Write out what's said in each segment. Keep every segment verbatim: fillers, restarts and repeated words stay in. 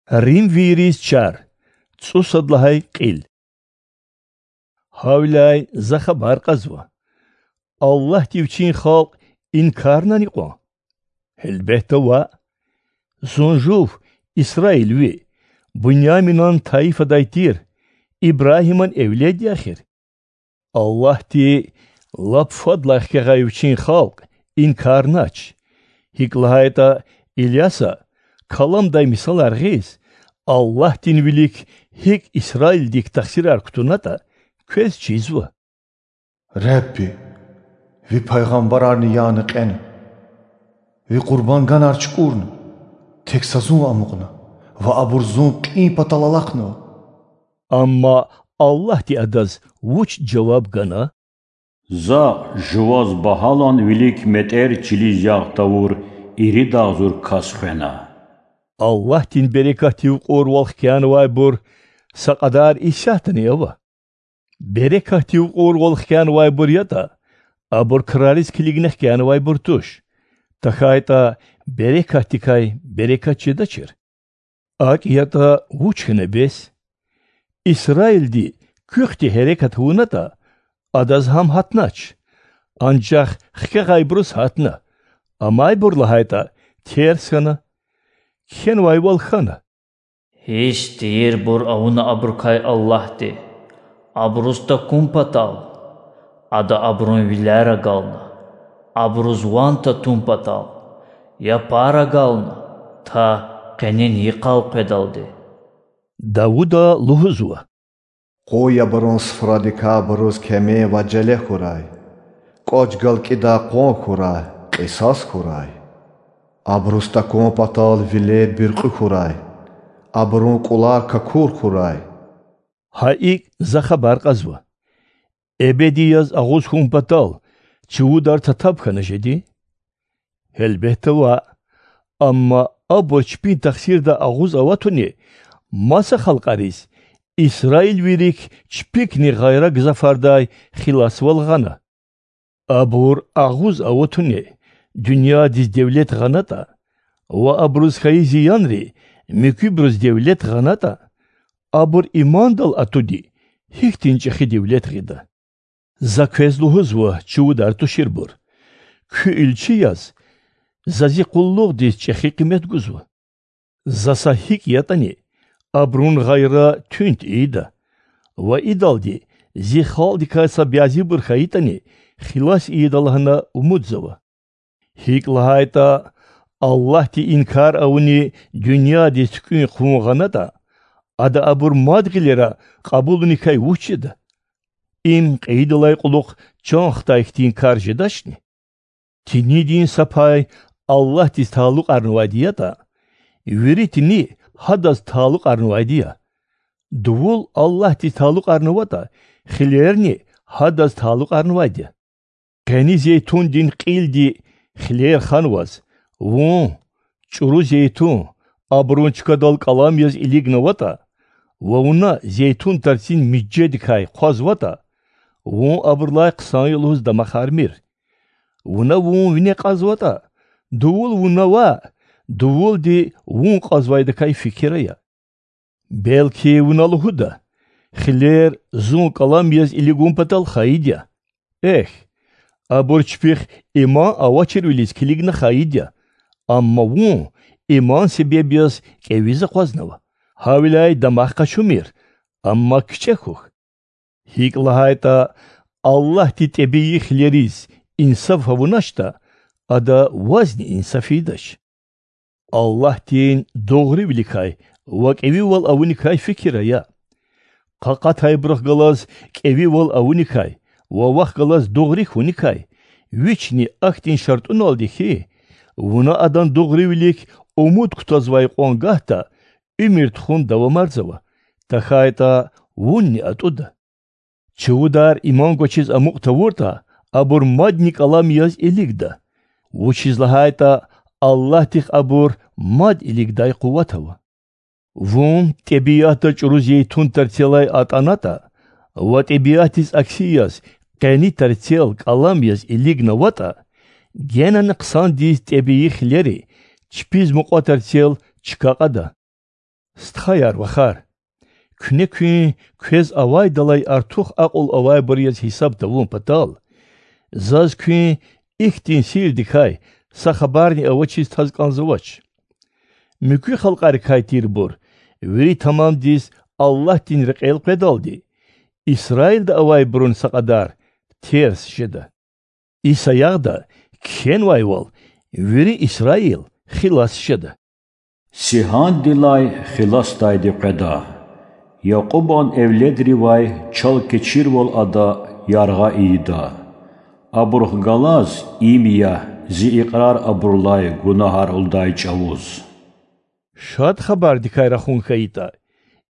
Римвийриз чар. ЦӀусад лагьай кьил. Гьавиляй за хабар кьазва: Аллагьди Вичин халкь инкарнани кьван? Гьелбетда, ваъ. Зун жув Исраил ви, Буняминан тайифадай тир, Ибрагьиман эвлед я эхир. Аллагьди лап фадлай хкягъай Вичин халкь инкарнач. ГьикӀ лагьайтӀа Ильяса, каламдай мисалар гъиз, Аллагьдин вилик гьикӀ Исраилдик тахсирар кутунатӀа, квез чизва: Ребби, ви пайгъамбарарни яна кьена, ви къурбанганар чукӀурна, тек са зун амукьна ва абур зун кьин патал алахънава. Амма Аллагьди адаз вуч жаваб гана? За жуваз багьалан вилик метӀер чилиз ягъ тавур ирид агъзур кас хвена. Аллагьдин берекатдив кьурвал хкянавайбур са кьадар исятдани ава. Берекатдив кьурвал хкянавайбур ятӀа, абур крариз килигна хкянавайбур туш, тахьайтӀа берекатдикай берекат жедачир. АкӀ ятӀа вуч хьана бес? Исраилди куьхьди гьерекат авунатӀа, адаз гьам гьатнач, анжах хкягъайбуруз гьатна, амайбур лагьайтӀа, терс хьана. Кхьенвайвал хьана: Гьисс тийирбур авуна абурукай Аллагьди, абуруз такун патал. Ада абурун вилер агална, абуруз ван татун патал, япар агална, та къенин йикъал къведалди. Давуда лугьузва: Къуй абурун суфрадикай абуруз кеме ва желе хьурай, кӀвач галкӀидай къван хьурай, кьисас хьурай. Абуруз такун патал вилер буьркьуь хьурай, абурун кӀулар какур хьурай. Гьа икӀ, за хабар кьазва: эбеди яз агъуз хьун патал чувудар татаб хьана жеди? Гьелбетда, ваъ. Амма абур чпин тахсирдай агъуз аватуни маса халкьариз, исраилвийрик чпикни гъайра гзафардай хиласвал гъана. Абур агъуз аватуни дуьньядиз девлет гъанатӀа ва абуруз хьайи зиянри муькуьбуруз девлет гъанатӀа, абур имандал атуди гьихьтин чӀехи девлет гъида. За квез лугьузва, чувудар туширбур, куь илчи яз за зи къуллугъдиз чӀехи къимет гузва. За са гьикӀ ятӀани абурун гъайра туьнт ийида ва идалди зи халкьдикай са бязибур хьайитӀани, хилас ийида лагьана умудзава. ГьикӀ лагьайтӀа, Аллагьди инкар авуни дуьньядиз туькӀуьн-хъувун гъанатӀа, Ада абур мад гъилера кьабулуникай вуч жеда? Им кьейидалай кьулухъ чан хтай хьтин кар жедачни? Тинидин са пай Аллагьдиз талукьарнавайди ятӀа, вири тини Гьадаз талукьарнавайди я. Дувул Аллагьдиз талукьарнаватӀа, хилерни Гьадаз талукьарнавайди я. Къени зейтундин кьилди хилер ханваз, вун, чӀуру зейтун, абурун чкадал кӀалам яз илигнаватӀа ва вуна зейтун тарцин мижедикай хъвазватӀа, вун абурулай хъсан я лугьуз дамахармир. Вуна вун вине кьазватӀа, дувул вуна ваъ, дувулди вун кьазвайдакай фикир ая. Белки, вуна лугьуда: хилер зун кӀалам яз илигун патал хайид я. Эхь, абур чпихъ иман авачирвилиз килигна хайид я, амма вун иман себеб яз кӀевиз акъвазнава, гьавиляй дамах къачумир, амма кичӀе хьухь. ГьикӀ лагьайтӀа, Аллагьди тӀебии хилериз инсаф авуначтӀа, Ада вазни инсаф ийидач. Аллагьдин дугъривиликай ва кӀевивал авуникай фикир ая. Къакъатайбурухъ галаз кӀевивал авуникай ва вахъ галаз дугъри хьуникай, вични ахьтин шартӀуналди хьи, вуна адан дугъривилик умуд кутазвай кьван гагьда уьмуьр тухун давамарзава, тахьайтӀа вунни атӀуда. Чувудар иман гвачиз амукь тавуртӀа, абур мадни кӀалам яз илигда, вучиз лагьайтӀа Аллагьдихъ абур мад илигдай къуват ава. Вун тӀебиатда чӀуру зейтун тарцелай атӀанатӀа ва тӀебиатдиз акси яз къени тарцел кӀалам яз илигнаватӀа, генани хъсандиз тӀебии хилери чпиз мукьва тарцел чка кьада. Стхаяр-вахар, куьне куьн квез авайдалай артух акьул авайбур яз гьисаб тавун патал, заз куьн ихьтин сирдикай са хабарни авачиз таз кӀанзавач. Муькуь халкьарикай тирбур вири тамамдиз Аллагьдин рекьел къведалди, Исраилда авайбурун са кьадар терс жеда. И саягъда кхьенвайвал, вири Исраил хилас жеда. Сигьандилай хиласдайди къведа, Якьубан эвледривай чал кечирвал ада яргъа ийида. Абурухъ галаз им я зи икьрар абурулай гунагьар лугьудай чӀавуз. Шад Хабардикай рахун хьайитӀа,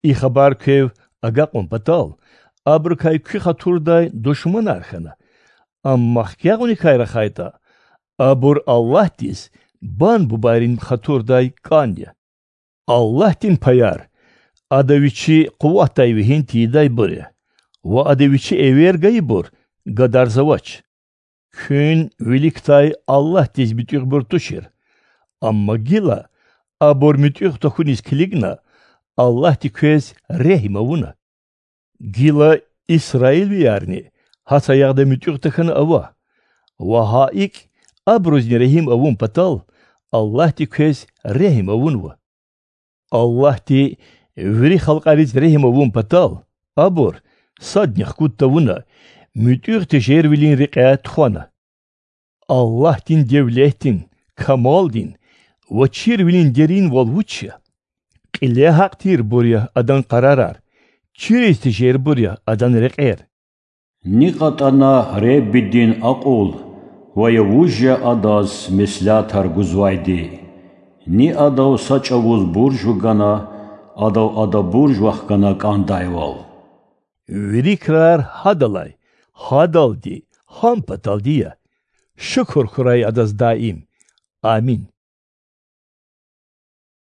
и хабар квев агакьун патал, абурукай куь хатурдай душманар хьана, амма хкягъуникай рахайтӀа, абур Аллагьдиз бан-бубайрин хатурдай кӀан я. Аллагьдин паяр Ада Вичи къуватдай вегьин тийидайбур я, ва Ада Вичи эвер гайибур гадарзавач. Куьн виликдай Аллагьдиз муьтӀуьгъбур тушир, амма гила, абур муьтӀуьгъ тахьуниз килигна, Аллагьди квез регьим авуна. Гила исраилвиярни гьа саягъда муьтӀуьгъ тахьана ава, ва гьа икӀ, абурузни регьим авун патал, Аллагьди квез регьим авунва. Аллагьди вири халкьариз регьим авун патал, абур, садни хкуд тавуна, муьтӀуьгъ тежервилин рекьяй тухвана. Аллагьдин девлетдин, камалдин ва чирвилин деринвал вуч я! Кьиле гьахъ тирбур я Адан къарарар, чириз тежербур я Адан рекьер. Ни кьатӀана Худадин акьул, ва я вуж я Адаз меслятар гузвайди! Ни Адав са чӀавуз бурж вугана, Адав ада бурж вахгана кӀандайвал! Вири крар Гьадалай, гьадалди, гьам паталди я. Шукур хьурай Адаз даим. Амин.